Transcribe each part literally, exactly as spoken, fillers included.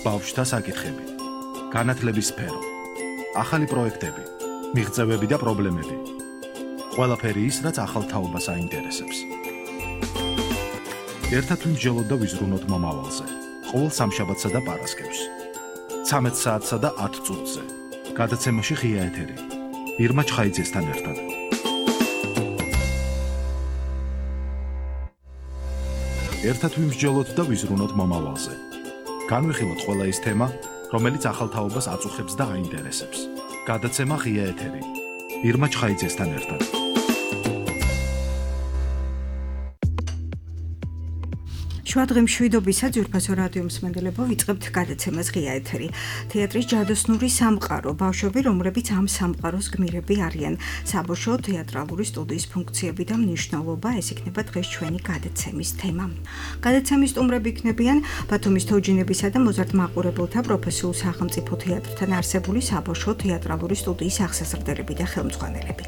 ბავშვთა საკითხები, განათლების სფერო, ახალი პროექტები, მიღწევები და პრობლემები. ყველაფერი ის, რაც ახალ თაობას აინტერესებს. ერთად ვიმსჯელოთ და ვიზრუნოთ მომავალზე. ყოველ სამშაბათსა და პარასკევს. ცამეტ საათსა და ათ წუთზე. გადაცემაში ღია ეთერი. ირმა ჩხაიძესთან ერთად. ერთად ვიმსჯელოთ და ვიზრუნოთ მომავალზე. განვიხილოთ ყველა ის თემა, რომელიც ახალ თაობას აწუხებს და აინტერესებს. გადაცემა ღია ეთერი. ირმა ჩხაიძესთან ერთად. შუადღე მშვიდობისა ძვირფასო რადიო მსმენელებო, ვიწყებთ გადაცემას ღია ეთერი. თეატრის ჯადოსნური სამყარო, ბავშვები, რომლებიც ამ სამყაროს გმირები არიან. საბავშვო თეატრალური სტუდიის ფუნქციები და მნიშვნელობა, ეს იქნება დღეს ჩვენი გადაცემის თემა. გადაცემის სტუმრები იქნებიან ბათუმის თოჯინებისა და მოზარდ მაყურებელთა პროფესიულ სახელმწიფო თეატრთან არსებული საბავშვო თეატრალური სტუდიის აღსაზრდელები და ხელმძღვანელები.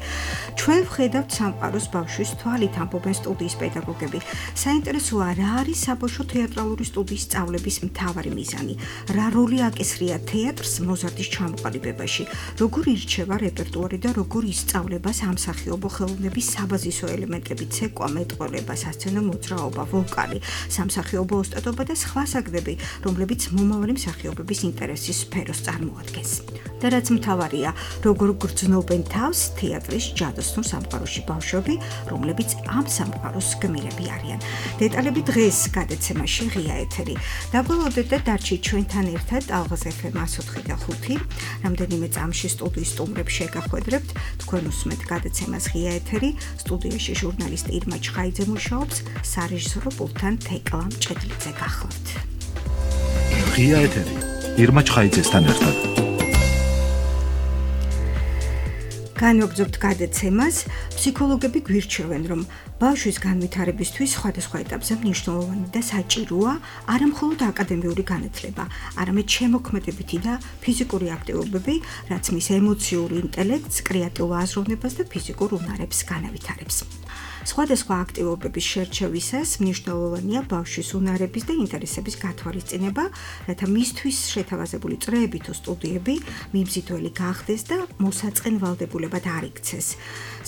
ჩვენ ვხედავთ სამყაროს ბავშვის თვალით, ამბობენ სტუდიის პედაგოგები. საინტერესოა, რა არის საბავშვო თეატრალური სტუდიის სწავლების მთავარი მიზანი, რა როლი აკისრია თეატრს მოზარდის ჩამოყალიბებაში, როგორ ირჩევა რეპერტუარი და როგორ ისწავლება სამსახიობო ხელოვნების საბაზისო ელემენტები, ცეკვა, მეტყველება, სასცენო მოძრაობა, ვოკალი, სამსახიობო ოსტატობა და სხვა საგნები, რომლებიც მომავალი მსახიობების ინტერესის სფეროს წარმოადგენს. და რაც მთავარია, როგორ გრძნობენ თავს თეატრის ჯადოსნურ სამყაროში ბავშვები, რომლებიც ამ სამყაროს გმირები არიან. დეტალები დღეს გადაცემაში ღია ეთერი. დაბოლოდეთ და დარჩით ჩვენთან ერთად ალღაზ ეფ ემ εκατს ოთხი და ხუთი. რამდენიმე წამში სტუდიის სტუმრებს შეგახვედრებთ. თქვენ უსმენთ გადაცემას ღია ეთერი. სტუდიაში ჟურნალისტი ირმა ჩხაიძე მუშაობს, სარეჟისორო პულტთან თეკლა მჭედლიძე გახლავთ. ღია ეთერი. ირმა ჩხაიძესთან ერთად. განვაგრძობთ გადაცემას. ფსიქოლოგები გვირჩევენ, რომ ბავშვის განვითარებისთვის სხვადასხვა ეტაპზე მნიშვნელოვანი და საჭიროა არა მხოლოდ აკადემიური განათლება, არამედ შემოქმედებითი და ფიზიკური აქტივობები, რაც მის ემოციურ ინტელექტს, კრეატიულ აზროვნებას და ფიზიკურ უნარებს განავითარებს. სხვადასხვა აქტივობების შერჩევისას მნიშვნელოვანია ბავშვის უნარების და ინტერესების გათვალისწინება, რათა მისთვის შეთავაზებული წრეები თუ სტუდიები მიმზიდველი გახდეს და მოსაწყენვალდებულებად არ იქცეს.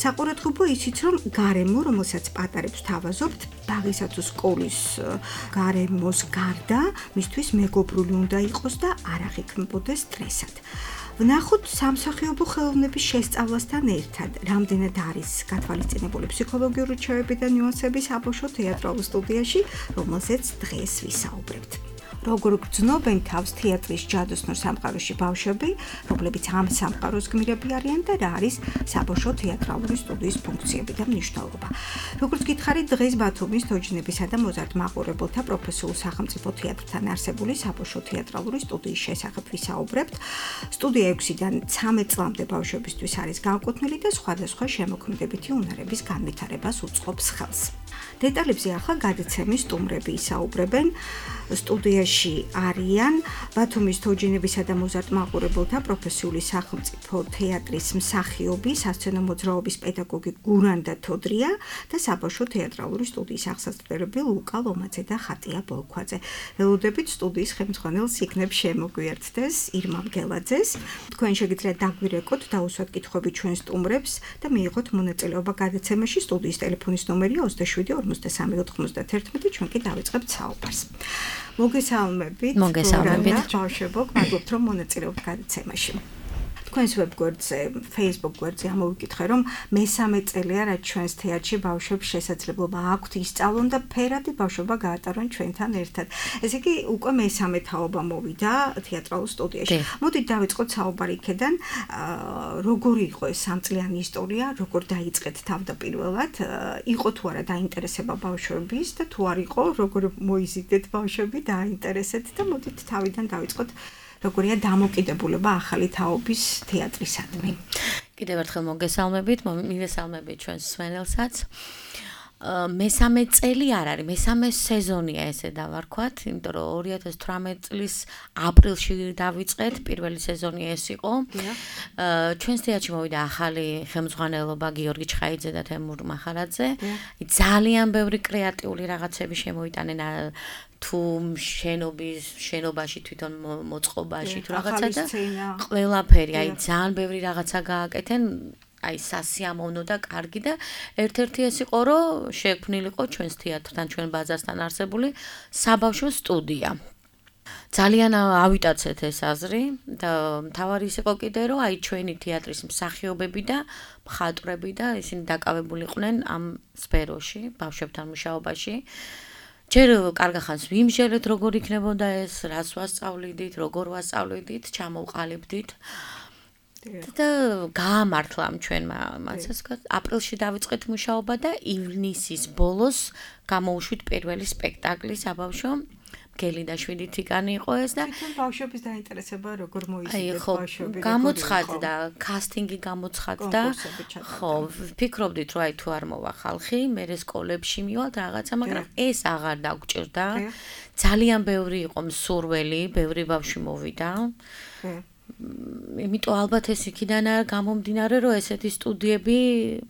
საყურადღებო ისიც, რომ გარემო, რომელსაც პატარებს თავაზობთ, ბაღისა თუ სკოლის გარემოს გარდა, მისთვის მეგობრული უნდა იყოს და არ აღიქმებოდეს სტრესად. ვნახოთ სამსახიობო ხელოვნების შესწავლასთან ერთად, რამდენად არის გათვალისწინებული ფსიქოლოგიური რჩევები და ნიუანსები საბავშვო თეატრალურ სტუდიაში, რომელზეც დღეს ვისაუბრებთ. როგორ გრძნობენ თავს თეატრის ჯადოსნურ სამყაროში ბავშვები, რომლებიც ამ სამყაროს გმირები არიან და რა არის საბავშვო თეატრალური სტუდიის ფუნქციები და მნიშვნელობა. როგორც გითხარით, დღეს ბათუმის თოჯინებისა და მოზარდ მაყურებელთა პროფესიულ სახელმწიფო თეატრთან არსებული საბავშვო თეატრალური სტუდიის შესახებ ვისაუბრებთ. სტუდია ექვსიდან ცამეტ წლამდე ბავშვებისთვის არის განკუთვნილი და სხვადასხვა შემოქმედებითი უნარების განვითარებას უწყობს ხელს. დეტალებზე ახლა გადაცემის სტუმრები ისაუბრებენ. სტუდიაში არიან ბათუმის თოჯინებისა და მოზარდ მაყურებელთა პროფესიული სახელმწიფო თეატრის მსახიობი, სასცენო მოძრაობის პედაგოგი გურანდა თოდრია და საბავშვო თეატრალური სტუდიის აღსაზრდელები ლუკა ლომაძე და ხატია ბოლქვაძე. ველოდებით სტუდიის ხელმძღვანელს იქნებ შემოგვიერთდეს ირმა მგელაძეს. თქვენ შეგიძლიათ დაგვირეკოთ, დაუსვათ კითხვები ჩვენ სტუმრებს და მიიღოთ მონაწილეობა გადაცემაში. სტუდიის ტელეფონის ნომერია ოცდაშვიდი ორმოცდასამი ოთხმოცდაათერთმეტი. ჩვენ კი დავიწყებთ საუბარს. მოგესალმებით. მოგესალმებით. ბავშვებო, გვაგობთ რომ მონაწილეობთ გადაცემაში. თქვენს ვებგვერდზე, Facebook გვერდზე ამოვიკითხე, რომ მესამე წელია, რაც ჩვენს თეატრში ბავშვებს შესაძლებლობა აქვთ ისწავლონ და ფერადი ბავშვობა გაატარონ ჩვენთან ერთად. ესე იგი, უკვე მესამე თაობა მოვიდა თეატრალურ სტუდიაში. მოდით დავიწყოთ საუბარი იქედან, როგორი იყო ეს სამწლიანი ისტორია, როგორ დაიწყეთ თავდაპირველად, იყო თუ არა დაინტერესება ბავშვების და თუ არ იყო, როგორ მოიზიდეთ ბავშვები დაინტერესეთ და მოდით თავიდან დავიწყოთ. როგორია დამოკიდებულება ახალი თაობის თეატრისადმი. კიდევ ერთხელ მოგესალმებით, მივესალმებით ჩვენს მსმენელსაც. მესამე წელი არ არის, მესამე სეზონია ესე დავარქვათ, იმიტომ რომ ორი ათას თვრამეტი წლის აპრილში დავიწყეთ, პირველი სეზონი ეს იყო. ჩვენს თეატრში მოვიდა ახალი ხელმძღვანელობა გიორგი ჩხაიძე და თემურ მახარაძე. ძალიან ბევრი კრეატიული რაღაცები შემოიტანენ თუ შენობის შენობაში თვითონ მოწყობაში თუ რაღაცა და ყველაფერი, აი ძალიან ბევრი რაღაცა გააკეთენ. აი სასიამოვნო და კარგი და ერთ-ერთი ეს იყო რომ შექმნილიყო ჩვენს თეატრთან ჩვენ ბაზასთან არსებული საბავშვო სტუდია. ძალიან ავიტაცეთ ეს აზრი და მთავარი ის იყო კიდე რომ აი ჩვენი თეატრის მსახიობები და მხატვრები და ისინი დაკავებული იყვნენ ამ სფეროში, ბავშვებთან მუშაობაში. ჯერ კარგახანს ვიმჟელეთ როგორ იქნებოდა ეს, რას ვასწავლიდით, როგორ ვასწავლიდით, ჩამოვყალიბდით. და გაამართლა ჩვენმა მასას აპრილში დავიწყეთ მუშაობა და ივნისის ბოლოს გამოუშვით პირველი სპექტაკლი საბავშვო გელიდაშვილი თიკანი იყო ეს და თვითონ ბავშვების დაინტერესება როგორ მოიზიდეთ ბავშვები გამოცხადდა კასტინგი გამოცხადდა ხო ვფიქრობდით რომ აი თუ არ მოვა ხალხი მე სკოლებში მივალთ რაღაცა მაგრამ ეს აღარ დაგჭირდა ძალიან ბევრი იყო მსურველი ბევრი ბავშვი მოვიდა იმიტომ ალბათ ეს იქიდან არ გამომდინარე რომ ესეთი სტუდიები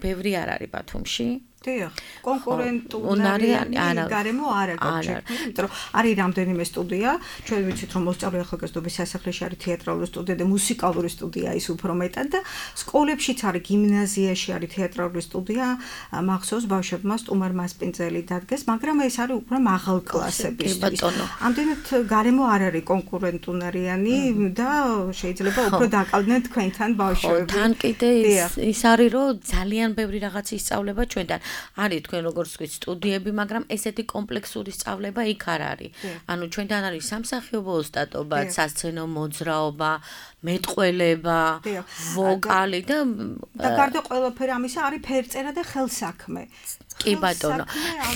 ბევრი არ არის ბათუმში დიახ კონკურენტული გარემო არ აქვს იმიტომ რომ არის რამდენიმე სტუდია ჩვენ ვიცით რომ მოსწავლე ახალგაზრდობის სასახლეში არის თეატრალური სტუდია და მუსიკალური სტუდია ის უფრო მეტად და სკოლებშიც არის გიმნაზიაში არის თეატრალური სტუდია მახსოვს ბავშვებმა სტუმარ მასპინძელი დადგეს მაგრამ ეს არის უფრო მაღალ კლასებისთვის ამდენად გარემო არ არის კონკურენტუნარიანი და შეიძლება უფრო დაკავდნენ თქვენთან ბავშვები თან კიდე ის არის რომ ძალიან ბევრი რაღაც ისწავლება ჩვენთან არის თქვენ როგორც ვთქვით სტუდიები, მაგრამ ესეთი კომპლექსური სწავლება იქ არ არის. ანუ ჩვენთან არის სამსახიობო ოსტატობა, სასცენო მოძრაობა, მეტყველება, ვოკალი და და გარდა ყველაფერი ამისა არის ფერწერა და ხელსაქმე. კი ბატონო.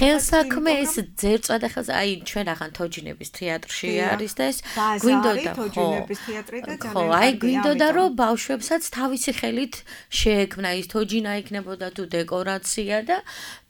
ხელსაქმე ეს ძერწვა და ხელს აი ჩვენ ახან თოჯინების თეატრში არის და ეს გვინდოდა თოჯინების თეატრი და ძალიან ხო, აი გვინდოდა რომ ბავშვებსაც თავისი ხელით შეექმნა ის თოჯინა იქნებოდა თუ დეკორაცია და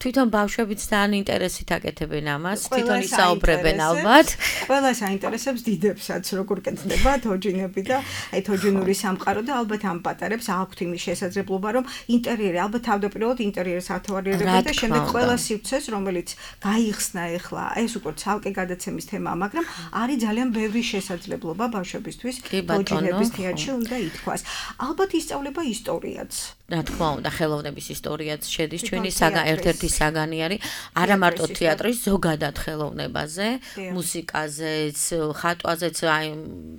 თვითონ ბავშვებიც ძალიან ინტერესით აკეთებენ ამას, თვითონ ისაუბრებენ ალბათ. ყველას აინტერესებს დიდებსაც როგორ კეთდება თოჯინები და აი თოჯინური სამყარო და ალბათ ამ პატარებს აქვთ იმის შესაძლებლობა რომ ინტერიერი ალბათ თავდაპირველად ინტერიერს ათვალიერებენ და შემდეგ ყველა სივრცეს რომელიც გაიხსნა ეხლა ეს უკვე ცალკე გადაცემის თემაა მაგრამ არის ძალიან ბევრი შესაძლებლობა ბავშვებისთვის თოჯინების თეატრში უნდა ითქვას ალბათ ისწავლება ისტორიაც რა თქმა უნდა ხელოვნების ისტორიაც შედის ჩვენი ერთ-ერთი საგანი არის არა მარტო თეატრის ზოგადად ხელოვნებაზე მუსიკაზეც ხატვაზეც აი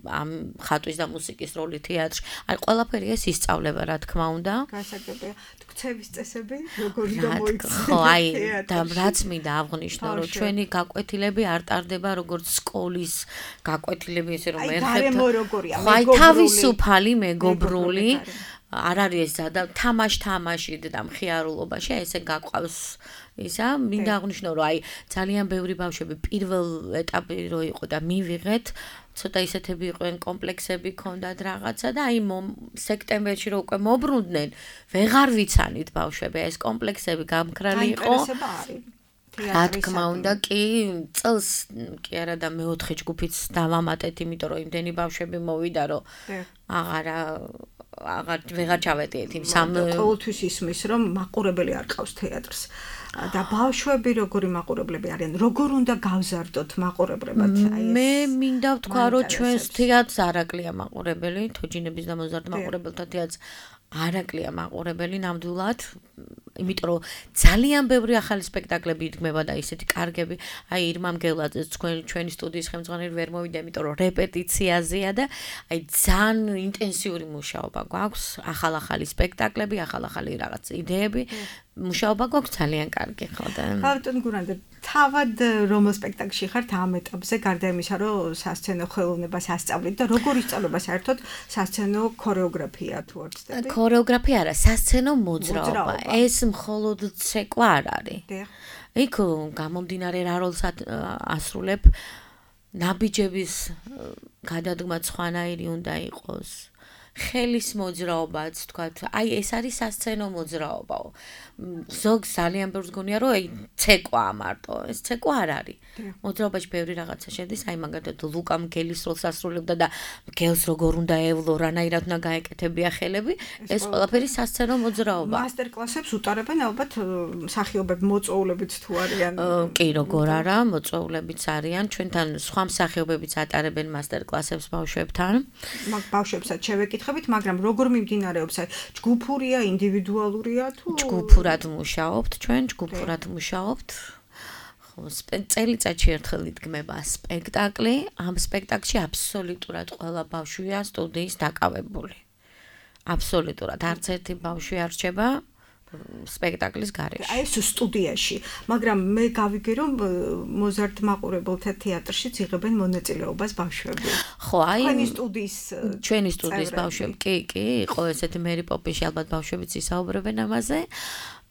ამ ხატვის და მუსიკის როლი თეატრში აი ყველაფერი ეს ისწავლება რა თქმა უნდა გასაგებია ქცევის წესები როგორი გამოიქცეთ ხო აი და რაც მინდა აღვნიშნო რომ ჩვენი გაკვეთილები არ ტარდება როგორც სკოლის გაკვეთილები ესე რომ ერთხელ აი თავისუფალი მეგობრული არ არის ეს და თამაშ-თამაში და მხიარულობაში ესე გაყვავს ისა მინდა აღვნიშნო რომ აი ძალიან ბევრი ბავშვები პირველ ეტაპი რო იყო და მივიღეთ ცოტა ისეთები იყვნენ კომპლექსები ქონდათ რაღაცა და აი სექტემბერში რო უკვე მოbrunდნენ ვეღარ ვიცანით ბავშვები ეს კომპლექსები გამქრალი იყო რა თქმა უნდა კი წელს კი არა და მეოთხე ჯგუფიც დავამატეთ იმიტომ რომ იმდენი ბავშვები მოვიდა რომ აღარა აღარ ვეღარ ჩავეტიეთ იმ სამ ყოველთვის ისმის რომ მაყურებელი არ ყავს თეატრს და ბავშვები როგორი მაყურებლები არიან როგორ უნდა გავზარდოთ მაყურებლებად აი ეს მე მინდა ვთქვა რომ ჩვენს თეატრს არაკლია მაყურებელი თოჯინების და მოზარდ მაყურებელთა თეატრს არაკლია მაყურებელი ნამდვილად იმიტომ რომ ძალიან ბევრი ახალი სპექტაკლები იდგმება და ისეთი კარგები აი ირმა მგელაძე ჩვენი სტუდიის ხელმძღვანელი ვერ მოვიდა იმიტომ რომ რეპეტიციაზეა და აი ძალიან ინტენსიური მუშაობა გვაქვს ახალ-ახალი სპექტაკლები ახალ-ახალი რაღაც იდეები მუშაობა გვაქვს ძალიან კარგი ხო და ბატონ გურანდე თავად რომელ სპექტაკლში ხართ ამ ეტაპზე გარდა იმისა რომ სასცენო ხელოვნებას ასწავლით და როგორ ისწავლება საერთოდ სასცენო ქორეოგრაფია თუ არ ვცდები ქორეოგრაფია არა სასცენო მოძრაობა ეს მხოლოდ ცეკვა არ არის იქ გამომდინარე რა როლს ასრულებ ნაბიჯების გადადგმა სხვანაირი უნდა იყოს ხელის მოძრაობაც, თქვათ, აი ეს არის სასცენო მოძრაობაო. ზოგ ძალიან ბევრს გონია, რომ აი ცეკვა მარტო, ეს ცეკვა არ არის. მოძრაობაში ბევრი რაღაცა შედის, აი მაგალითად ლუკა მგელის როლს ასრულებდა და მგელს როგორ უნდა ევლო, რანაირად უნდა გაეკეთებია ხელები, ეს ყველაფერი სასცენო მოძრაობა. მასტერკლასებს უტარებენ ალბათ მსახიობები მოწვეულებიც თუ არიან. კი, როგორ არა, მოწვეულებიც არიან, ჩვენთან სხვა მსახიობებიც ატარებენ მასტერკლასებს ბავშვებთან. მაგ ბავშვებსაც შევეკითხებით, მაგრამ როგორ მიმდინარეობს? აი, ჯგუფურია, ინდივიდუალურია თუ ჯგუფურად მუშაობთ, ჩვენ ჯგუფურად მუშაობთ. ხო, წელიწადში ერთხელ იდგმება სპექტაკლი, ამ სპექტაკლში აბსოლუტურად ყველა ბავშვია სტუდიის დაკავებული. აბსოლუტურად, არც ერთი ბავშვი არ რჩება სპექტაკლის გარეშე. აი ეს სტუდიაში, მაგრამ მე გავიგე რომ მოზარდ მაყურებელთა თეატრშიც იღებენ მონაწილეობას ბავშვები. ხო, აი ჩვენი სტუდიის ჩვენი სტუდიის ბავშვები, კი, კი, იყო ესეთი მერი პოპიში ალბათ ბავშვებიც ისაუბრებენ ამაზე.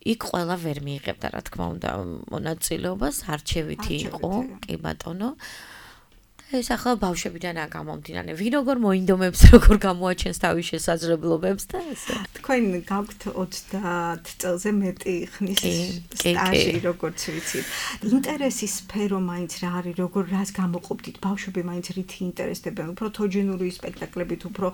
იქ ყველა ვერ მიიღებდა, რა თქმა უნდა, მონაწილეობას, არჩევითი იყო, კი ბატონო. ეს ახლა ბავშვებიდანაა გამომდინარე. ვინ როგორ მოინდომებს, როგორ გამოაჩენს თავის შესაძლებლობებს და ესე. თქვენ გაქვთ ოცდაათ წელზე მეტი ხნის სტაჟი, როგორც ვიცით. ინტერესის სფერო მაინც რა არის, როგორ რას გამოყოფდით? ბავშვები მაინც რითი ინტერესდებიან? უფრო თოჯინური სპექტაკლებით, უფრო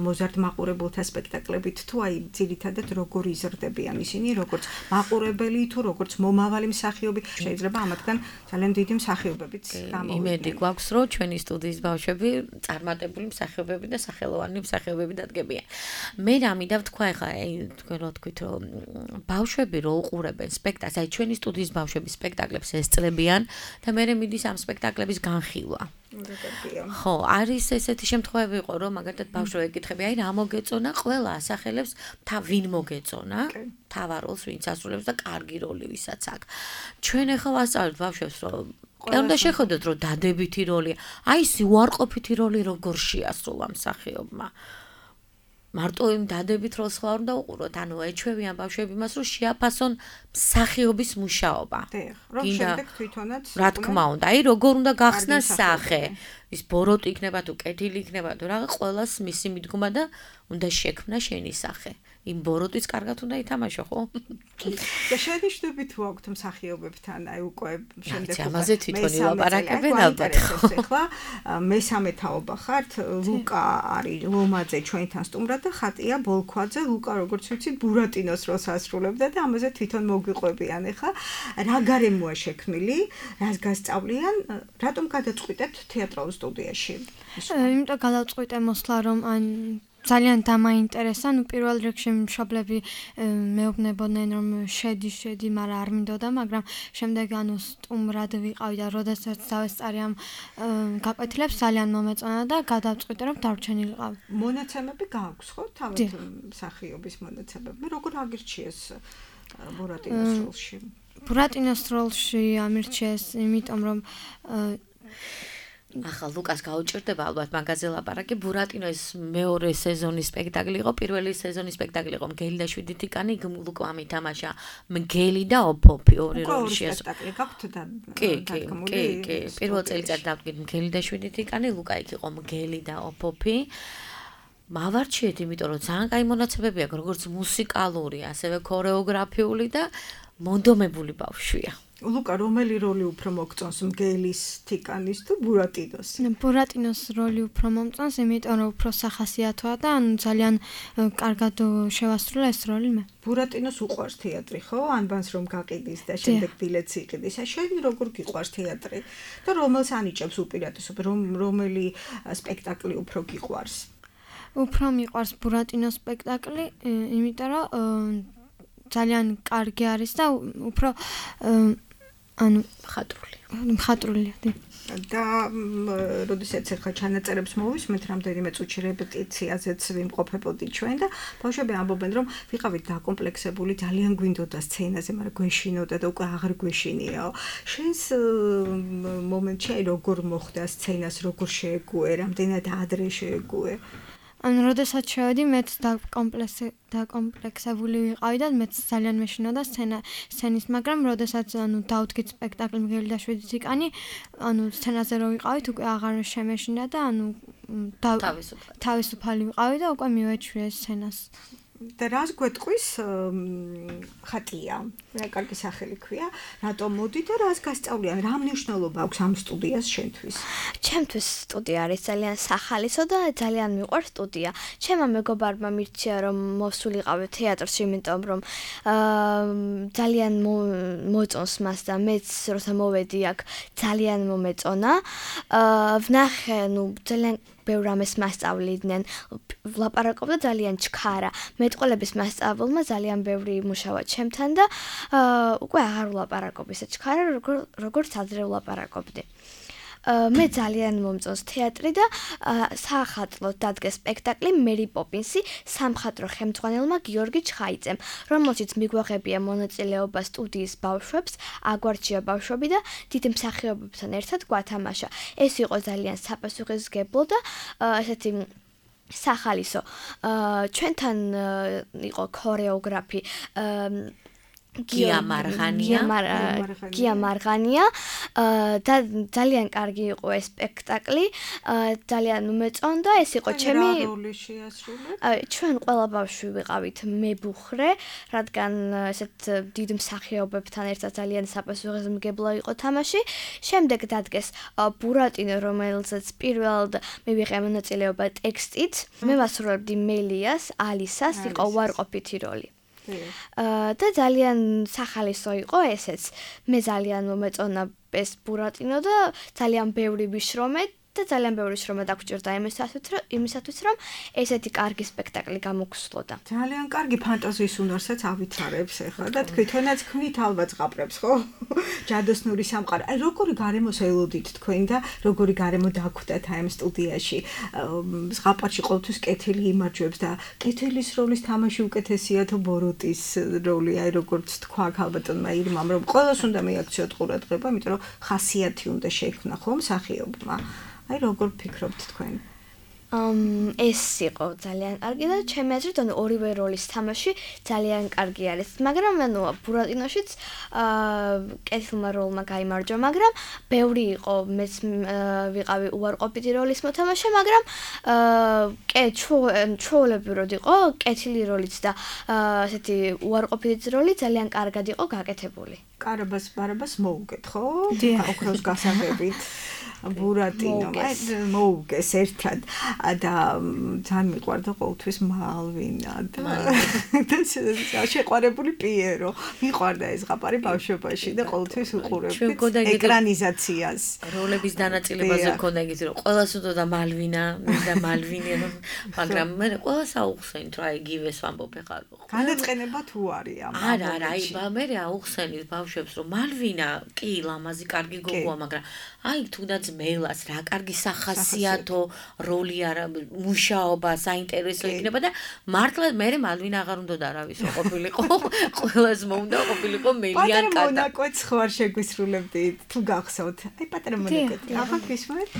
მოზარდ მაყურებელთა სპექტაკლებით, თუ აი ძირითადად როგორ იზრდებიან ისინი, როგორც მაყურებელი თუ როგორც მომავალი მსახიობი, შეიძლება ამათგან ძალიან დიდი მსახიობებიც გამოვიდნენ. იმედი გვაქვს, რომ ჩვენი სტუდიის ბავშვები წარმატებული მსახიობები და სახელოვანი მსახიობები დადგებიან. მე რამიდა ვთქვა ახლა, აი თქვენ რო თქვით, რომ ბავშვები რო უყურებენ სპექტაკლს, აი ჩვენი სტუდიის ბავშვები სპექტაკლებს ესწრებიან და მე მიდის ამ სპექტაკლების განხილვა. ხო, არის ესეთი შემთხვევები იყო, რომ მაგალითად ბავშვები ეკითხები, აი რა მოგეწონა, ყველა ასახელებს თა ვინ მოგეწონა, თავარ როლს ვინც ასრულებს და კარგი როლი ვისაც აქვს. ჩვენ ახლა ვასწავლეთ ბავშვებს, რომ კი უნდა შეხედოთ, რომ დადებითი როლია. აი ეს უარყოფითი როლი როგორ შეასრულა მსახიობმა. მარტო იმ დადებით როლს ხარ უნდა უყუროთ, ანუ ეჩვევიან ბავშვები მას, რომ შეაფასონ მსახიობის მუშაობა. რომ შემდეგ თვითონაც რა თქმა უნდა, აი როგორ უნდა გახსნას სახე. ის ბოროტი იქნება თუ კეთილი იქნება თუ რა, ყველას მისი მიდგომა და უნდა შექმნა შენი სახე. იმ ბოროტის კარგად უნდა ითამაშო, ხო? და შენიშნები თუ აქვთ მსახიობებთან, აი უკვე შემდეგ ამაზე თვითონ ილაპარაკებენ ალბათ. ახლა მესამე თაობა ხართ, ლუკა არის ლომაძე ჩვენთან სტუმრად და ხატია ბოლქვაძე, ლუკა როგორც ვიცით ბურატინოს როლს ასრულებდა და ამაზე თვითონ მოგვიყვებიან. ახლა რა გარემოა შექმნილი, რას გასწავლიან, რატომ გადაწყვიტებთ თეატრალურ სტუდიაში? იმიტომ გადაწყვიტე მოსვლა, რომ ან ძალიან დამაინტერესა, ნუ პირველ რიგში მშობლები მეუბნებოდნენ, რომ შედი, შედი, მაგრამ არ მინდოდა, მაგრამ შემდეგ ანუ სტუმრად ვიყავი და როდესაც დავესწარი ამ გაკვეთილებს, ძალიან მომეწონა და გადავწყვიტე, რომ დარჩენილიყავ. მონაცემები გააქვს, ხო? თავად მსახიობის მონაცემები. მე როგორ აგირჩიეს ბურატინოს როლში? ბურატინოს როლში ამირჩიეს, იმიტომ რომ ახლა ლუკას გაუჭირდება ალბათ მაგაზე ლაპარაკი. ბურატინოს მეორე სეზონის სპექტაკლი იყო, პირველი სეზონის სპექტაკლი იყო მგელი და შვიდი ტიკანი, ლუკამ ითამაშა მგელი და ოფოფი ორი როლში. სპექტაკლი გაქვთ და კი, კი, კი, კი. პირველ წელიწადს დავდგით მგელი და შვიდი ტიკანი, ლუკა იქ იყო მგელი და ოფოფი. მავარჩიეთ, იმიტომ რომ ძალიან კაი მონაცემები აქვს, როგორც მუსიკალური, ასევე ქორეოგრაფიული და მონდომებული ბავშვია. ლუკა, რომელი როლი უფრო მოგწონს, მგელის, ტიკანის თუ ბურატინოს? ბურატინოს როლი უფრო მომწონს, იმიტომ რომ უფრო სახასიათოა და ანუ ძალიან კარგად შევასრულე ეს როლი მე. ბურატინოს უყვარს თეატრი, ხო? ანბანს რომ გაყიდის და შემდეგ ბილეთს იყიდის. შენ როგორ გიყვარს თეატრი? და რომელს ანიჭებს უპირატესობა, რომელი სპექტაკლი უფრო გიყვარს? უფრო მიყვარს ბურატინოს სპექტაკლი, იმიტომ რომ ძალიან კარგი არის და უფრო ანუ მხატვრული. მხატვრულია, დი. და როდესაც ახლა ჩანაწერებს მოვისმენთ, რამდენიმე წუთში რეპეტიციაზეც ვიმყოფებოდი ჩვენ და ბავშვები ამბობენ, რომ ვიყავით დაკომპლექსებული, ძალიან გვინდოდა სცენაზე, მაგრამ გვეშინოდა და უკვე აღარ გვეშინიაო. შენს მომენტში აი როგორ მოხდა სცენას, როგორ შეეგუე, რამდენად ადრე შეეგუე? ანუ როდესაც შევედი, მეც დაკომპლექსებული ვიყავი და მეც ძალიან მეშინოდა სცენა სცენის, მაგრამ როდესაც ანუ დავდგით სპექტაკლი მგელი და შვიდი ტიკანი, ანუ სცენაზე რო ვიყავით, უკვე აღარ შემეშინდა და ანუ თავისუფალი ვიყავი და უკვე მივეჩვიე სცენას. და რას გვეტყვის ხატია? რა კარგი სახელი ქვია? რატომ მოდი და რას გასწავლიან? რა მნიშვნელობა აქვს ამ სტუდიას შენთვის? ჩემთვის სტუდია არის ძალიან სახალისო და ძალიან მიყვარს სტუდია. ჩემმა მეგობარმა მირჩია რომ მოვსულიყავი თეატრში, იმიტომ რომ ძალიან მოწონს მას და მეც როცა მოვედი აქ ძალიან მომეწონა. ვნახე, ნუ ძალიან ბევრ რამეს მასწავლიდნენ, ვლაპარაკობდა ძალიან ჩქარა. მეტყველების მასწავლებლმა ძალიან ბევრი იმუშავა ჩემთან და უკვე აღარ ვლაპარაკობ ისე ჩქარა, როგორც ადრე ვლაპარაკობდი. მე ძალიან მომწონს თეატრი და საახალწლოდ დადგეს სპექტაკლი მერი პოპინსი სამხატვრო ხელმძღვანელმა გიორგი ჩხაიძემ, რომელშიც მიგვაღებია მონაწილეობა სტუდიის ბავშვებს, აგვარჩია ბავშვები და დიდი მსახიობებთან ერთად გვათამაშა. ეს იყო ძალიან საპასუხისმგებლო და ესეთი სახალისო. ჩვენთან იყო ქორეოგრაფი გია მარღანია გია მარღანია და ძალიან კარგი იყო ეს სპექტაკლი, ძალიან უმეწონდა. ეს იყო ჩემი ჩვენ ყველა ბავშვი ვიყავით მებუხრე, რადგან ესეთ დიდ მსახიობებთან ერთად ძალიან საპასუხისმგებლო იყო თამაში. შემდეგ დადგეს ბურატინო, რომელზეც პირველად მივიღე მონაწილეობა ტექსტით. მე ვასრულებდი მელიას, ალისას, იყო უარყოფითი როლი. და ძალიან სახალისო იყო ესეც. მე ძალიან მომეწონა ეს ბურატინო და ძალიან ბევრი ვიშრომე და ძალიან ბევრი შრომა დაგჭირდა იმისათვის, რომ ესეთი კარგი სპექტაკლი გამოგსვლოდა. ძალიან კარგი ფანტაზიის უნარსაც ავითარებს ახლა და თქვენაც ქმნით ალბათ ზღაპრებს, ხო? ჯადოსნური სამყარო. აი როგორი გარემოს ელოდით თქვენ და როგორი გარემო დაგვხვდათ აი ამ სტუდიაში? ზღაპარში ყოველთვის კეთილი იმარჯვებს და კეთილის როლის თამაში უკეთესია თუ ბოროტის როლი, აი როგორც თქვა ალბათონმა ირმამ, რომ ყველას უნდა მიაქციოთ ყურადღება, იმიტომ რომ ხასიათი უნდა შექმნა, ხო, მსახიობმა. აი როგორ ფიქრობთ თქვენ? Um, ეს იყო ძალიან კარგი და ჩემი აზრით ანუ ორივე როლის თამაში ძალიან კარგი არის. მაგრამ ანუ ბურატინოშიც აა კეთილმა როლმა გაიმარჯვა, მაგრამ ბევრი იყო მეც ვიყავი უარყოფითი როლის მოთამაშე, მაგრამ აა კე ჩვეულებრივად იყო კეთილი როლიც და ესეთი უარყოფითი როლი ძალიან კარგად იყო გაკეთებული. კარაბას ბარაბას მოუგეთ, ხო? ოქროს გასაღებით. ბურატინო მოუგეს ერთად და ძალიან მიყვარდა ყოველთვის მალვინა და შეყვარებული პიერო. მიყვარდა ეს ზღაპარი ბავშვობაში და ყოველთვის უყურებდი ეკრანიზაციას. როლების დანაწილებაზე მქონდა იგივე რომ ყველას უდოდა მალვინა და მალვინი, მაგრამ მე ყველას აუხსენით რა იგივეს ვამბობ ხარ. განაწყენება თუ არის ამ? არა, არა, აი მე აუხსენით ბავშვებს რომ მალვინა კი ლამაზი კარგი გოგოა, მაგრამ აი თუნდაც მელას რა კარგი სახასიათო როლი არა, მუშაობა საინტერესო იქნება და მართლა მე მალვინა აღარ უნდა და არავის ყოფილიყო, ყველას მოუნდა ყოფილიყო მელიან კატა. პატარა მონაკოც ხო არ შეგვისრულებდი თუ გახსოვთ? აი პატარა მონაკოც. ახლა გისმენთ?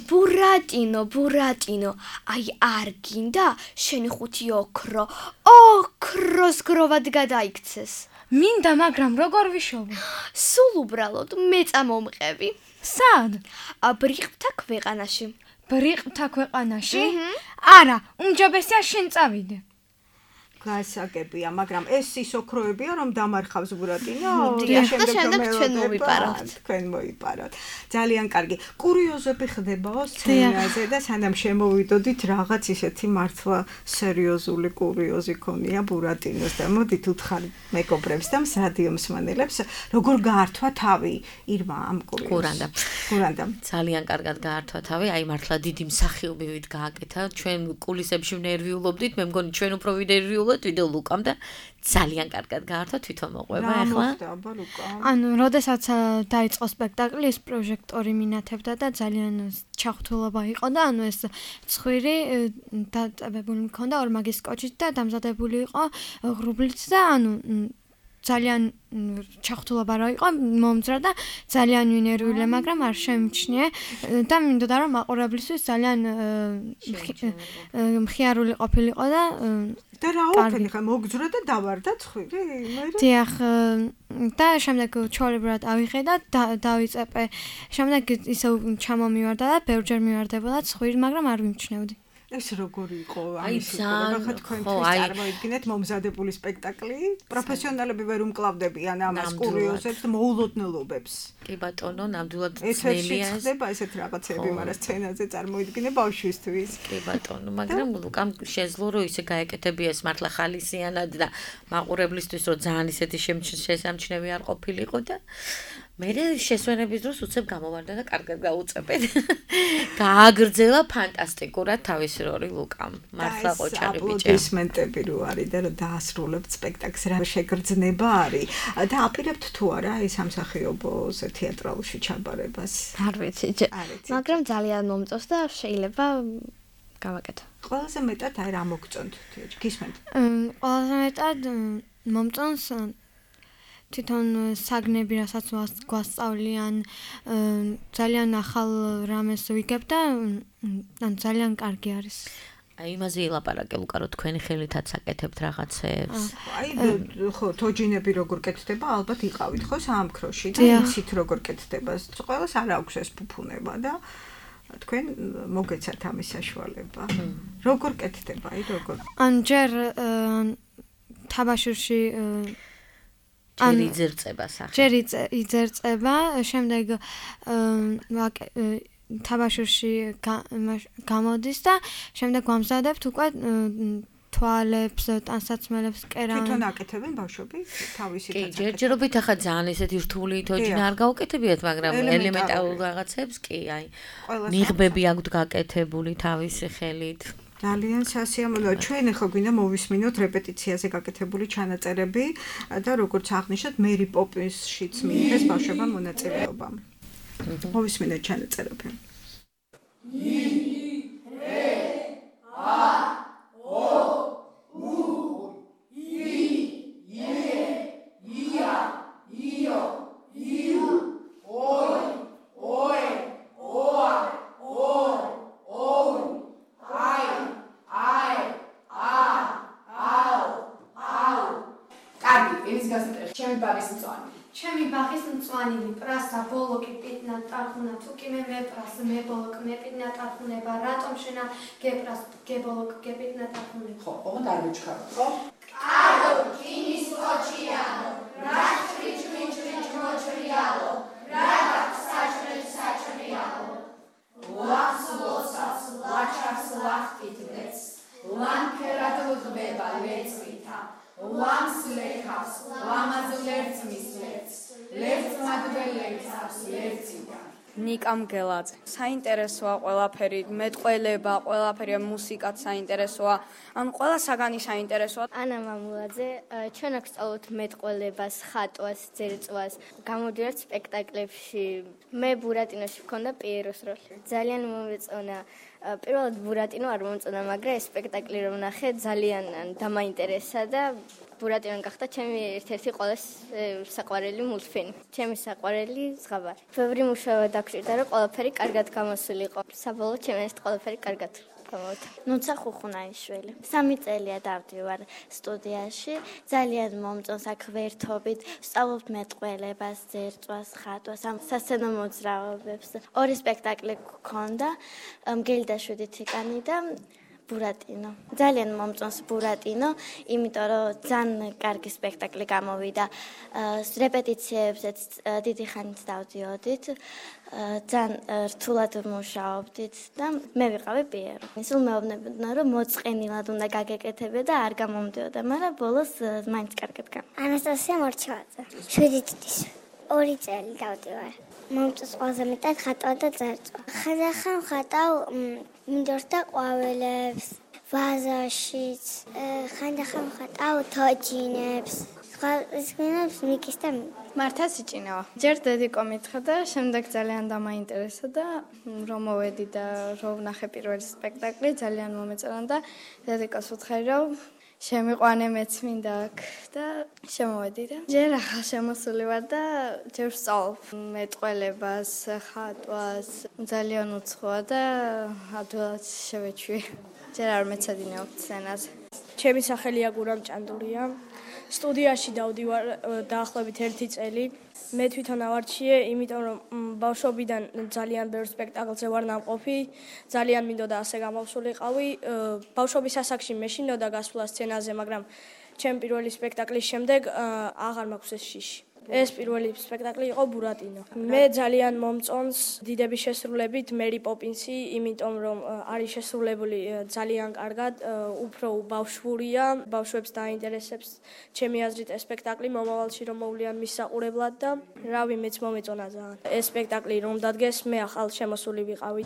ბურატინო, ბურატინო, აი არ გინდა შენი ხუთი ოქრო, ოქროს გროვად გადაიქცეს. მინდა, მაგრამ როგორ ვიშოვო? სულ უბრალოდ მე წამომყევი. სად? ბრიყთა ქვეყანაში. ბრიყთა ქვეყანაში? არა, უმჯობესია შენ წავიდე. გასაგებია, მაგრამ ეს ის ოქროებია, რომ დამარხავს ბურატინო. და შემდეგ ჩვენ მოვიპარავთ. თქვენ მოიპარავთ. ძალიან კარგი. კურიოზები ხდებაო სცენაზე და სანამ შემოვიდოდით, რაღაც ისეთი მართლა სერიოზული კურიოზი ქონია ბურატინოს და მოდით უთხარ მეგობრებს და რადიო მსმენელებს, როგორ გაართვა თავი ირმა ამ კურიოზს. კურანდა. კურანდა. ძალიან კარგად გაართვა თავი, აი მართლა დიდი მსახიობივით გააკეთა. ჩვენ კულისებში ნერვიულობდით, მე მგონი ჩვენ უფრო ვინერვიულობთ ვიდეო ლუკამ და ძალიან კარგად გაართვა თვითონ მოყვება ახლა. ანუ როდესაც დაიწყო სპექტაკლი, ეს პროჟექტორი მინათებდა და ძალიან ჩახტულობა იყო და ანუ ეს ცხვირი დაწებებული მქონდა ორმაგის კოჭით და დამზადებული იყო ღრუბლით და ანუ ძალიან ჩახტულობა რა იყო მომძრა და ძალიან ვინერვილი, მაგრამ არ შემჩნიე და მინდოდა რომ მაყურებლისთვის ძალიან მხიარული ყოფილიყო და და რა ოფენი ხა მოგძრა და დავარდა ცხვირი მე დიახ და შემდეგ ჩოლებრად ავიღე და დავიწეპე შემდეგ ისე ჩამომივარდა და ბევრჯერ მივარდებოდა ცხვირი მაგრამ არ ვიმჩნევდი ეს როგორი იყო ამის იქნება ხა თქვენთვის წარმოიდგინეთ მომზადებული სპექტაკლი პროფესიონალები ვერ უმკლავდებიან ამას კურიოზებს და მოულოდნელობებს კი ბატონო ნამდვილად ძნელია ეს ხდება ესეთ რაღაცები მაგრამ სცენაზე წარმოიდგინე ბავშვისთვის კი ბატონო მაგრამ ლუკამ შეძლო რომ ისე გაეკეთებიეს მართლა ხალისიანად და მაყურებლისთვის რომ ძალიან ისეთი შესამჩნევი არ ყოფილიყო და მე შესვენების დროს უცებ გამოვარდა და კარგად გაუწებეთ. გააგრძელა ფანტასტიკურად თავისი როლი ლუკამ. მართლა ყოჩაღი ბიჭია. აპლოდისმენტები რო არის და რომ დაასრულებთ სპექტაკლს რა შეგრძნება არის და აპირებთ თუ არა ეს სამსახიობოზე თეატრალში ჩაბარებას. არ ვიცი. მაგრამ ძალიან მომწონს და შეიძლება გავაკეთო. ყველაზე მეტად აი რა მოგწონთ გისმენთ? ყველაზე მეტად მომწონს თვითონ საგნები რასაც გვასწავლიან ძალიან ახალ რამეს ვიგებ და ან ძალიან კარგი არის. აი იმაზე ილაპარაკე ლუკა რომ თქვენი ხელითაც აკეთებთ რაღაცებს. აი ხო თოჯინები როგორ კეთდება ალბათ იყავით ხო საამქროში და იცით როგორ კეთდება. ყველას არ აქვს ეს ფუფუნება და თქვენ მოგეცათ ამის საშუალება. როგორ კეთდება აი როგორ? ან ჯერ თაბაშირში ჯერ იძერწება სახე. ჯერ იძერწება, შემდეგ თაბაშირში გამოდის და შემდეგ ვამზადებთ უკვე თვალებს, ტანსაცმელებს, კერამიკას. თვითონ აკეთებენ ბავშვები თავისი კი, ჯერჯერობით ახლა ძალიან ესეთი რთული თოჯინა არ გაუკეთებიათ, მაგრამ ელემენტარულ რაღაცებს კი, აი ნიღბები აქვთ გაკეთებული თავისი ხელით. ძალიან სასიამოვნოა. ჩვენ ახლა გვინდა მოვისმინოთ რეპეტიციაზე გაკეთებული ჩანაწერები და როგორც აღნიშნეთ, მერი პოპინსშიც მიიღეს ბავშვებმა მონაწილეობა. მოვისმინეთ ჩანაწერები. ი რე ა ო უ ი ე ია იო იუ ოი ოე ოა ორ ოუ აი აი ა აუ აუ კარგი ის გასაწერს ჩემი ბაღის მწვანე ჩემი ბაღის მწვანილი პრასა ბოლოკი პიტნა ტარხუნა თუკი მე მე პრას მე ბოლოკ მე პიტნა ტარხუნება რატომ შენა გეპრას გებოლოკ გეპიტნა ტარხუნება ხო ოღონდ არ ვიჩქარო ხო კარო კინის კოჩიანო რა ჭრიჭ მიჭ მიჭ მოჭრიალო რა საჭრე საჭრიალო ლახს ლოცავს ლაჩავს ლახტიტნეც ლანქერად უღბება ლეწვითა ლამს ლეხავს ლამაზ ლერწმის ლერწ ლერწ მადველეცავს ლერწიდან ნიკამ გელაძე საინტერესოა ყველაფერი მეტყველება ყველაფერი მუსიკაც საინტერესოა ან ყველა საგანი საინტერესოა ანა მამულაძე ჩვენ აქ სწავლობთ მეტყველებას ხატვას ძერწვას გამოდიართ სპექტაკლებში მე ბურატინოში ვქონდა პიეროს როლი ძალიან მომეწონა პირველად ბურატინო არ მომწონა მაგრამ ეს სპექტაკლი რომ ნახე ძალიან დამაინტერესა და ბურატინო გახდა ჩემი ერთ-ერთი ყოველს საყვარელი მულტფილმი ჩემი საყვარელი ზღაბარი ბევრი მუშაობა დაგჭირდა რომ ყველაფერი კარგად გამოსულიყო საბოლოოდ ჩემს ეს ყველაფერი კარგად გამოვიდა ნუცა ხუხუნაიშვილი სამი წელია დავდივარ სტუდიაში ძალიან მომწონს აქ ვერთობით ვსწავლობთ მეტყველებას ძერწვას ხატვას ამ სასცენო მოძრაობებს ორი სპექტაკლი გქონდა მგელი და შვიდი თიკანი და ბურატინო. ძალიან მომწონს ბურატინო, იმიტომ რომ ძალიან კარგი სპექტაკლი გამოვიდა. რეპეტიციებზეც დიდი ხანით დავდიოდით. ძალიან რთულად მუშაობდით და მე ვიყავი პიერო. ისე მეუბნებოდნენ რომ მოწყენილად უნდა გაგეკეთებინა და არ გამომდიოდა, მაგრამ ბოლოს მაინც კარგად გამ. ანასტასია მორჩევაძე. შვიდი წლის ორი წელი დავდივარ. მომწონს ყველაზე მეტად ხატვა და ძერწვა. ხანდახან ხატავ მინდორს და ყვავილებს, ვაზაშიც, ხანდახან ხატავ თოჯინებს. ეს გვინებს მიკის და მართა სიჭინავა. ჯერ დედიკო მითხრა და შემდეგ ძალიან დამაინტერესა და რომ მოვედი და რომ ვნახე პირველი სპექტაკლი ძალიან მომეწონა და დედიკოს ვუთხარი რომ შემიყვანე მეც მინდა აქ და შემოვედი და ჯერ ახალ შემოსული ვარ და ჯერ ვსწავლობ მეტყველებას, ხატვას, ძალიან უცხოა და ადვილად შევეჩვი. ჯერ არ მეცადინეობ სცენაზე. ჩემი სახელია გურამ ჭანდურია. სტუდიაში დავდივარ დაახლოებით ერთი წელი. მე თვითონ ავარჩიე, იმიტომ რომ ბავშვობიდან ძალიან ბევრ სპექტაკლზე ვარ ნამყოფი, ძალიან მინდოდა ასე გამოვსულიყავი. ბავშვობის ასაკში მეშინოდა გასვლა სცენაზე, მაგრამ ჩემ პირველი სპექტაკლის შემდეგ აღარ მაქვს ეს შიში. ეს პირველი სპექტაკლი იყო ბურატინო. მე ძალიან მომწონს დიდების შესრულებით მერი პოპინსი, იმიტომ რომ არის შესრულებული ძალიან კარგად, უფრო ბავშვურია, ბავშვებს დაინტერესებს ჩემი აზრით ეს სპექტაკლი მომავალში რომ მოვლიან მის საყურებლად და რავი მეც მომეწონა ძალიან. ეს სპექტაკლი რომ დადგეს, მე ახალ შემოსული ვიყავი.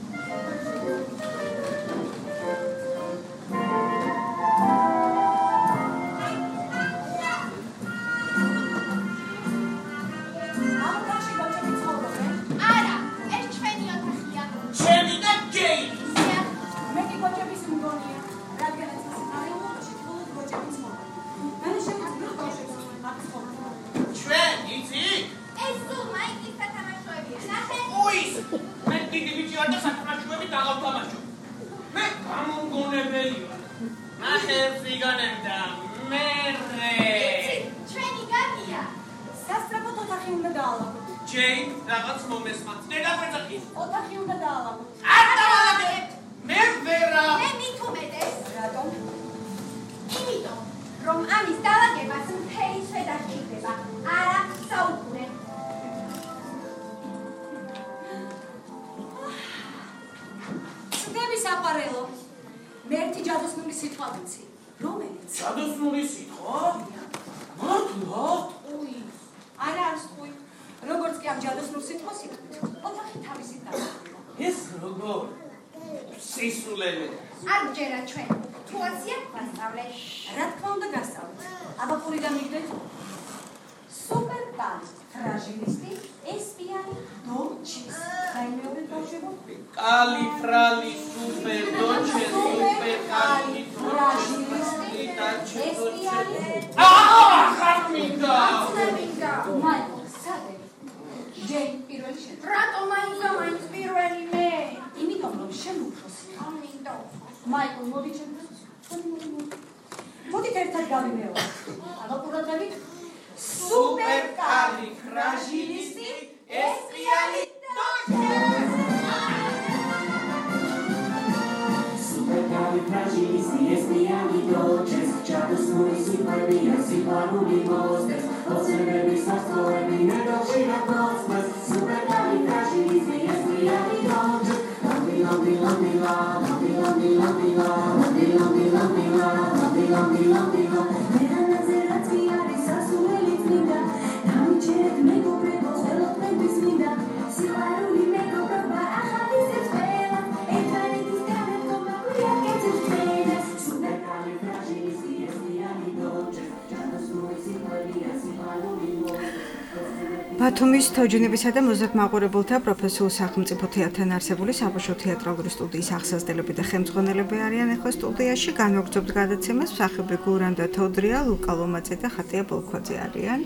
ბათუმის თოჯინებისა და მოზარდ-მაყურებელთა პროფესიულ სახელმწიფო თეატრთან არსებული საბავშვო თეატრალური სტუდიის აღსაზრდელები და ხელმძღვანელები არიან ახლა სტუდიაში. განვაგრძობთ გადაცემას მსახიობი გურამ და თოდრია, ლუკა ლომაძე და ხატია ბოლქვაძე არიან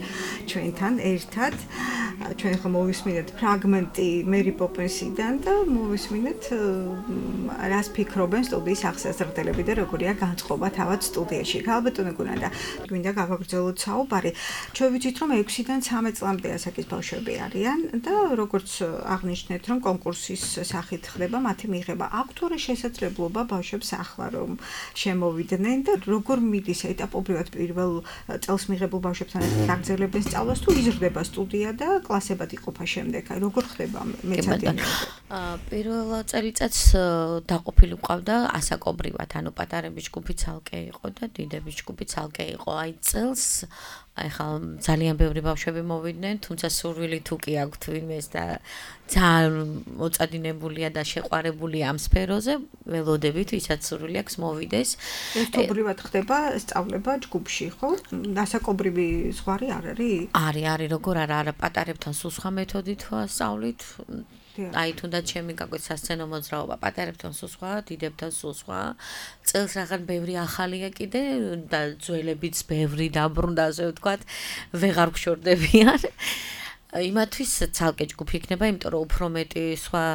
ჩვენთან ერთად. ჩვენ ახლა მოვისმინეთ ფრაგმენტი მერი პოპინსიდან და მოვისმინეთ რას ფიქრობენ სტუდიის აღსაზრდელები და როგორია განწყობა თავად სტუდიაში. ალბათონე გურამ და გვინდა გავაგრძელოთ საუბარი. ჩვენ ვიცით რომ ექვსიდან ცამეტ წლამდე ასაკის ბავშვები არიან და როგორც აღნიშნეთ რომ კონკურსის სახით ხდება მათი მიღება. აქვთ თუ არა შესაძლებლობა ბავშვებს ახლა რომ შემოვიდნენ და როგორ მიდის ეტაპობრივად პირველ წელს მიღებულ ბავშვებთან ერთად გაგრძელებენ სწავლას თუ იზრდება სტუდია და კლასებად იყოფა შემდეგ? აი როგორ ხდება მეცადინეობა? პირველ წელიწადს დაყოფილი ყავდა ასაკობრივად, ანუ პატარების ჯგუფი ცალკე იყო და დიდების ჯგუფი ცალკე იყო. აი წელს ახლა ძალიან ბევრი ბავშვები მოვიდნენ, თუმცა სურვილი თუ კი აქვთ ვინმეს და ძალიან მოწადინებულია და შეყვარებულია ამ სფეროზე, ველოდებით, ვისაც სურვილი აქვს მოვიდეს. ერთობრივად ხდება სწავლება ჯგუფში, ხო? ასაკობრივი ზღვარი არ არის? არის, არის, როგორ არა, არა, პატარებთან სულ სხვა მეთოდით ვასწავლით. აი თუნდაც ჩემი გაკვეთ სასცენო მოძრაობა პატარებთან სულ სხვა, დიდებთან სულ სხვა. წელს რაღაც ბევრი ახალია კიდე და ძველებიც ბევრი დაბრუნდა, ასე ვთქვათ, ვეღარ გშორდებიან. იმათვის ცალკე ჯგუფი იქნება, იმიტომ რომ უფრო მეტი სხვა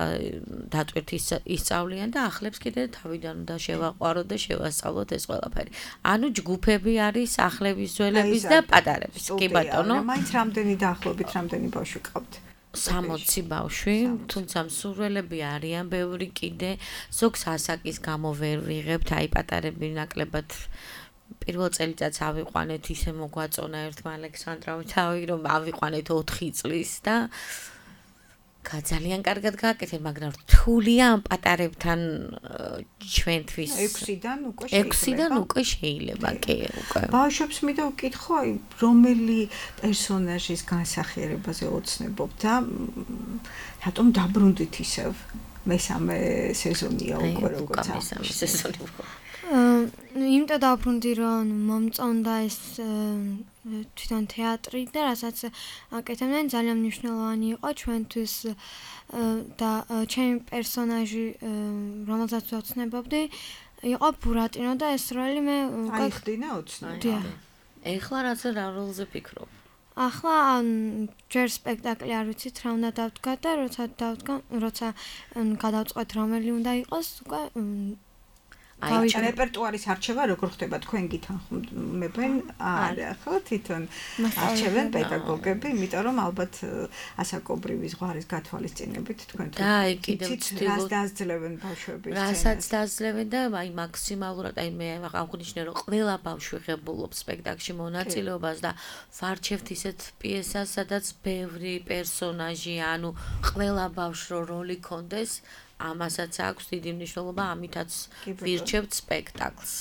დატვირთი ისწავლიან და ახლებს კიდე თავიდან უნდა შევაყვაროთ და შევასწავლოთ ეს ყველაფერი. ანუ ჯგუფები არის ახლების, ძველების და პატარების. კი ბატონო. მაინც რამდენი დაახლოებით რამდენი ბავშვი ყავთ? სამოცი ბავშვი, თუმცა მსურველები არიან ბევრი კიდე, ზოგს ასაკის გამო ვერ ვიღებთ, აი პატარები ნაკლებად პირველ წელიწადს ავიყვანეთ, ისე მოგვაწონა ერთმა ალექსანდრავი თავი, რომ ავიყვანეთ ოთხი წლის და ძალიან კარგად გააკეთეთ, მაგრამ რთულია ამ პატარებთან ჩვენთვის ექვსიდან უკვე შეიძლება. ექვსიდან უკვე შეიძლება, კი, უკვე. ბავშვებს მინდა ვკითხო, აი რომელი პერსონაჟის განსახიერებაზე ოცნებობთ და რატომ დაბრუნდით ისევ? მესამე სეზონია უკვე როგორც მესამე სეზონი უკვე. იმიტომ დაბრუნდი, რომ მომწონდა ეს თვითონ თეატრი და რასაც აკეთებდნენ ძალიან მნიშვნელოვანი იყო ჩვენთვის და ჩემი პერსონაჟი, რომელსაც ვოცნებობდი, იყო ბურატინო და ეს როლი მე აიხდინა ოცნებდი. ეხლა რაც რა როლზე ფიქრობ? ახლა ჯერ სპექტაკლი არ ვიცით რა უნდა დავდგა და როცა დავდგა, როცა გადავწყვეტ რომელი უნდა იყოს, უკვე აი რეპერტუარის არჩევა როგორ ხდება თქვენ გითანხმებენ? არა, ხო თვითონ არჩევენ პედაგოგები, იმიტომ რომ ალბათ ასაკობრივი ზღვარის გათვალისწინებით თქვენ და აი კიდევ რას დაძლევენ ბავშვების სცენას? რასაც დაძლევენ და აი მაქსიმალურად აი მე აღვნიშნე რომ ყველა ბავშვი ღებულობს სპექტაკლში მონაწილეობას და ვარჩევთ ისეთ პიესას, სადაც ბევრი პერსონაჟი, ანუ ყველა ბავშვს როლი კონდეს. ამასაც აქვს დიდი მნიშვნელობა, ამითაც ვირჩევთ სპექტაკლს,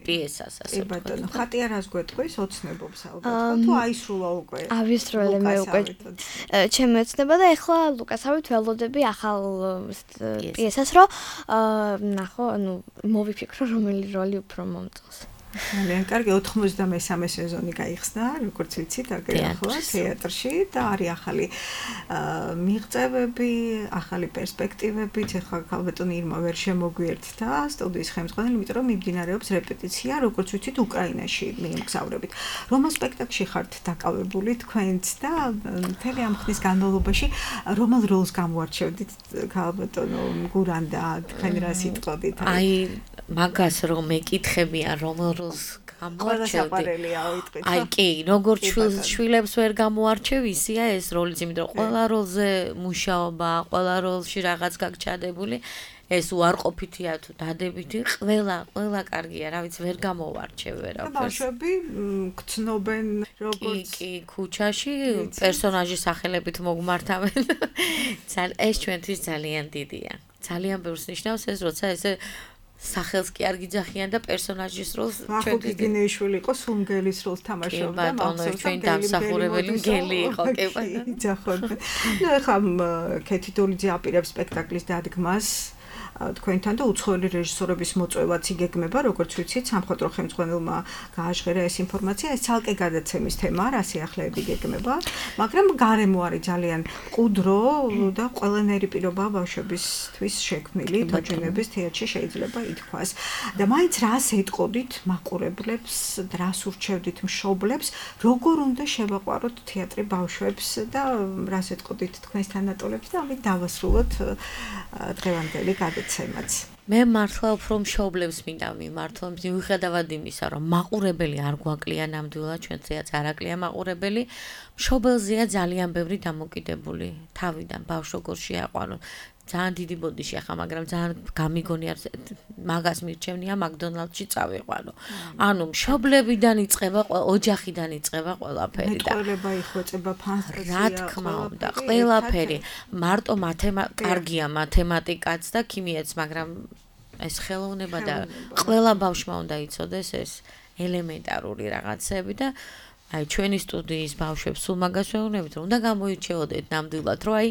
პიესას, ასე ვთქვათ. კი ბატონო, ხატია რას გვეტყვის, ოცნებობს ალბათ, თუ აისრულა უკვე. ავისროლე მე უკვე. ჩემი ოცნება და ეხლა ლუკასავით ველოდები ახალ პიესას, რომ ნახო, ანუ მოვიფიქრო რომელი როლი უფრო მომწონს. ძალიან კარგი, ოთხმოცდამესამე სეზონი გაიხსნა, როგორც ვიცით, ახლა თეატრში და არის ახალი მიღწევები, ახალი პერსპექტივები, ეხლა ქალბატონი ირმა ვერ შემოგვიერთდა სტუდიის ხელმძღვანელი, იმიტომ რომ მიმდინარეობს რეპეტიცია, როგორც ვიცით, უკრაინაში მიმგზავრებით. რომელ სპექტაკლში ხართ დაკავებული თქვენც და მთელი ამ ხნის განმავლობაში რომელ როლს გამოარჩევდით ქალბატონო გურანდა, თქვენ რა სიტყვით? აი მაგას რომ მეკითხებიან რომელ როლს გამოარჩევდი. აი კი, როგორც შვილებს ვერ გამოარჩევ, ისია ეს როლიც, იმიტომ რომ ყველა როლზე მუშაობა, ყველა როლში რაღაც გაგჩადებული, ეს უარყოფითია თუ დადებითი, ყველა, ყველა კარგია, რა ვიცი, ვერ გამოვარჩევ ვერაფერს. და ბავშვები გცნობენ როგორც კი, ქუჩაში პერსონაჟის სახელებით მოგმართავენ. ეს ჩვენთვის ძალიან დიდია. ძალიან ბევრს ნიშნავს ეს, როცა ესე სახელს კი არ გიძახიან და პერსონაჟის როლს ჩვენ გიგინეიშვილი იყო სულმგელის როლს თამაშობდა, მაგრამ ჩვენ დამსახურებელი მგელი იყო, კი ბატონო. იძახოდნენ. ნუ ეხლა ქეთი დოლიძე აპირებს სპექტაკლის დადგმას თქვენთან და უცხოელი რეჟისორების მოწვევაც იგეგმება, როგორც ვიცით, სამხატვრო ხელმძღვანელმა გააჟღერა ეს ინფორმაცია, ეს ცალკე გადაცემის თემაა, რა სიახლეები იგეგმება, მაგრამ გარემო არის ძალიან მყუდრო და ყველანაირი პირობა ბავშვებისთვის შექმნილი თოჯინების თეატრში შეიძლება ითქვას. და მაინც რას ეტყოდით მაყურებლებს, რას ურჩევდით მშობლებს, როგორ უნდა შევაყვაროთ თეატრი ბავშვებს და რას ეტყოდით თქვენს თანატოლებს და ამით დავასრულოთ დღევანდელი გადაცემა. მე მართლა უფრო მშობლებს მინდა მიმართო, მიუხედავად იმისა, რომ მაყურებელი არ გვაკლია ნამდვილად, ჩვენცეაც არ აკლია მაყურებელი, მშობელზეა ძალიან ბევრი დამოკიდებული თავიდან ბავშვს როგორ შეაყვანოთ. ძალიან დიდი ბოდიში ახლა, მაგრამ ძალიან გამიგონია, მაგას მირჩევნია მაკდონალდში წავიყვანო. ანუ მშობლებიდან იწყება, ოჯახიდან იწყება ყველაფერი და მეტყველება იხვეწება ფანტაზია. რა თქმა უნდა, ყველაფერი. მარტო მათემატიკა, კარგია მათემატიკაც და ქიმიაც, მაგრამ ეს ხელოვნება და ყველა ბავშვმა უნდა იცოდეს ეს ელემენტარული რაღაცები და აი ჩვენი სტუდიის ბავშვებს სულ მაგას ვეუბნებით, რომ უნდა გამოირჩეოდეთ ნამდვილად, რომ აი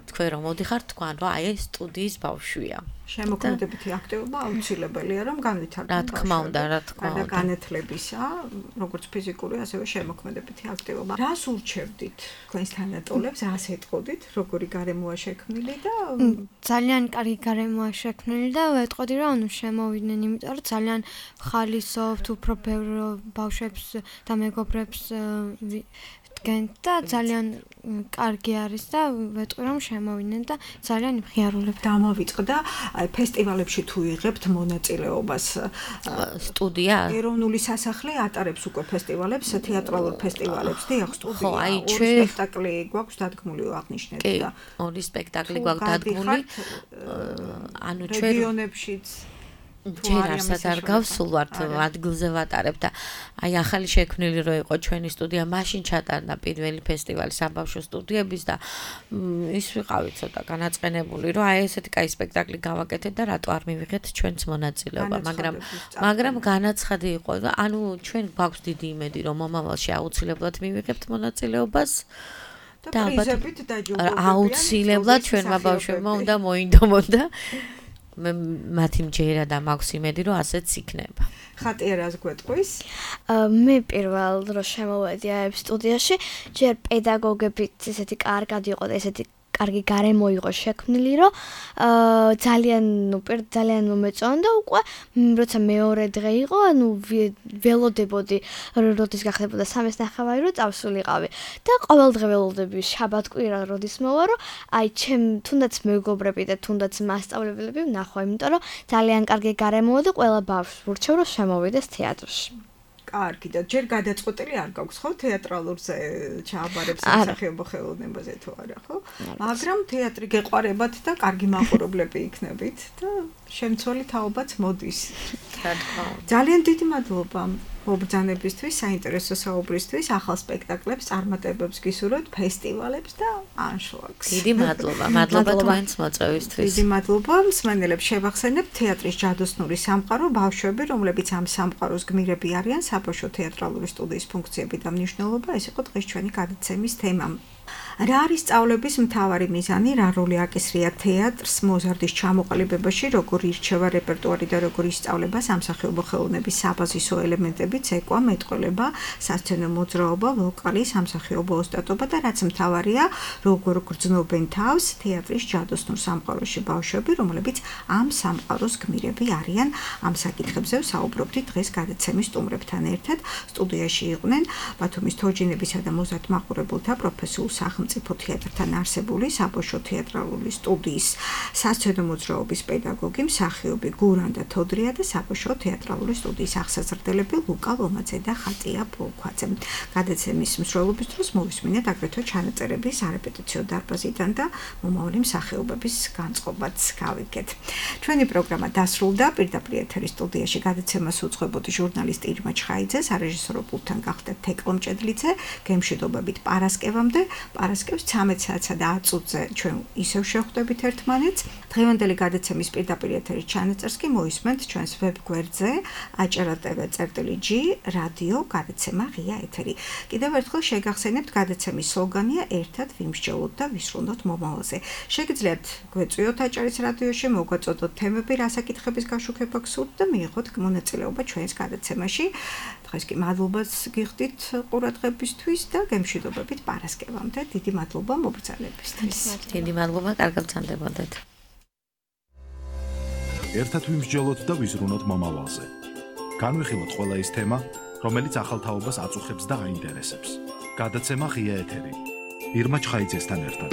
თქვენ რომ მოდიხართ, თქვენ რომ აი ეს სტუდიის ბავშვია. შემოქმედებითი აქტივობა აუცილებელია, რომ განვითარდეს. რა თქმა უნდა, რა თქმა უნდა. განათლებისა, როგორც ფიზიკური, ასევე შემოქმედებითი აქტივობა. რას ურჩევდით თქვენს თანატოლებს, რას ეტყოდით, როგორი გარემოა შექმნილი და ძალიან კარგი გარემოა შექმნილი და ვეტყოდი რომ ანუ შემოვიდნენ, იმიტომ რომ ძალიან ხალისობთ, უფრო ბევრ ბავშვებს და მეგობრებს დგენთ და ძალიან კარგი არის და ვეტყვი რომ შემოვიდნენ და ძალიან მხიარულებ. დამოვიწყდა აი ფესტივალებში თუ იღებთ მონაწილეობას სტუდია ეროვნული სასახლე ატარებს უკვე ფესტივალებს, თეატრალურ ფესტივალებს დიახ სტუდია. ხო, აი ჩვენ სპექტაკლი გვაქვს დადგმული აღნიშნეთ და ორი სპექტაკლი გვაქვს დადგმული. ანუ ჩვენ რეგიონებშიც ჯერ არცად არ გავსულვართ ადგილზე ვატარებ და აი ახალი შექმნილი რო იყო ჩვენი სტუდია, მაშინ ჩატარდა პირველი ფესტივალი საბავშვო სტუდიების და ის ვიყავი ცოტა განაწყენებული, რომ აი ესეთი კაი სპექტაკლი გავაკეთეთ და რატო არ მივიღეთ ჩვენც მონაწილეობა, მაგრამ მაგრამ განაცხადი იყო და ანუ ჩვენ გვაქვს დიდი იმედი, რომ მომავალში აუცილებლად მივიღებთ მონაწილეობას. და პრიზებით დაჯილდოებებიან. აუცილებლად ჩვენმა ბავშვებმა უნდა მოინდომონ და მე მათი მჯერა და მაქვს იმედი რომ ასეც იქნება. ხატიერას გვეტყვის? მე პირველ დროს შემოვედი აი სტუდიაში, ჯერ პედაგოგებით ესეთი კარგად იყო და ესეთი კარგი გარემო იყო შექმნილი, რომ ძალიან ნუ ძალიან მომეწონდა უკვე, როცა მეორე დღე იყო, ანუ ველოდებოდი, როდის გახდებოდა სამის ნახევარი, რომ წავსულიყავი. და ყოველდღე ველოდები შაბათ-კვირა როდის მოვა, რომ აი ჩემ თუნდაც მეგობრები და თუნდაც მასწავლებლები ვნახვა, იმიტომ რომ ძალიან კარგი გარემოა და ყველა ბავშვს ვურჩევ, რომ შემოვიდეს თეატრში. კარგი და ჯერ გადაწყვეტილი არ გაქვს ხო თეატრალურზე ჩააბარებს სახეობო ხელოვნებაზე თუ არა ხო? მაგრამ თეატრი გეყვარებათ და კარგი მაყურებლები იქნებით და შემცველი თაობაც მოდის. ძალიან დიდი მადლობა მობრძანებისთვის, საინტერესო საუბრისთვის, ახალ სპექტაკლებს, წარმატებებს გისურვებთ, ფესტივალებს და ანშლაგს. დიდი მადლობა, მადლობა თქვენს მოწვევისთვის. დიდი მადლობა მსმენელებს შევახსენებთ თეატრის ჯადოსნური სამყარო, ბავშვები, რომლებიც ამ სამყაროს გმირები არიან, საბავშვო თეატრალური სტუდიის ფუნქციები და მნიშვნელობა, ეს იყო დღეს ჩვენი გადაცემის თემა. რა არის სწავლების მთავარი მიზანი, რა როლი აკისრია თეატრს მოზარდის ჩამოყალიბებაში, როგორ ირჩევა რეპერტუარი და როგორ ისწავლება სამსახიობო ხელოვნების საბაზისო ელემენტები, ცეკვა, მეტყველება, სასცენო მოძრაობა, ვოკალი, სამსახიობო ოსტატობა და რაც მთავარია, როგორ გრძნობენ თავს თეატრის ჯადოსნურ სამყაროში ბავშვები, რომლებიც ამ სამყაროს გმირები არიან. ამ საკითხებზე ვსაუბრობდით დღეს გადაცემის სტუმრებთან ერთად. სტუდიაში იყვნენ ბათუმის თოჯინებისა და მოზარდ მაყურებელთა პროფესიულ სახელმწიფო თეატრთან არსებული საბავშვო თეატრალური სტუდიის სასცენო მოძრაობის პედაგოგი, მსახიობი გურანდა თოდრია და საბავშვო თეატრალური სტუდიის აღსაზრდელები ლუკა ლომაძე და ხატია ბოლქვაძე. გადაცემის მსვლელობის დროს მოვისმინეთ აგრეთვე ჩანაწერები სარეპეტიციო დარბაზიდან და მომავალი მსახიობების განწყობაც გავიგეთ. ჩვენი პროგრამა დასრულდა. პირდაპირ ეთერის სტუდიაში გადაცემას უძღვებოდი ჟურნალისტი ირმა ჩხაიძე, სარეჟისორო პულტთან გახდა თეკლო მჭედლიძე, გემშვიდობებით პარასკევამდე. პარასკევს ცამეტ საათსა და ათ წუთზე ჩვენ ისევ შევხვდებით ერთმანეთს. დღევანდელი გადაცემის პირდაპირ ეთერის ჩანაწერს კი მოისმენთ ჩვენს ვებ გვერდზე აჭარა ტევ წერტილი ჯი რადიო გადაცემა ღია ეთერი. კიდევ ერთხელ შეგახსენებთ გადაცემის სლოგანია ერთად ვიმსჯელოთ და ვისრულოთ მომავალზე. შეგიძლიათ გვეწვიოთ აჭარის რადიოში, მოგვაწოდოთ თემები, რა საკითხების გაშუქება გსურთ და მიიღოთ მონაწილეობა ჩვენს გადაცემაში. დღეს კი მადლობას გიხდით ყურადღებისთვის და გემშვიდობებით პარასკევამდე. დიდი მადლობა მობრძანებისთვის. დიდი მადლობა, კარგად ვცანდებოდეთ. ერთად ვიმსჯელოთ და ვიზრუნოთ მომავალზე. განვიხილოთ ყველა ის თემა, რომელიც ახალ თაობას აწუხებს და აინტერესებს. გადაცემა ღია ეთერი. ირმა ჩხაიძესთან ერთად.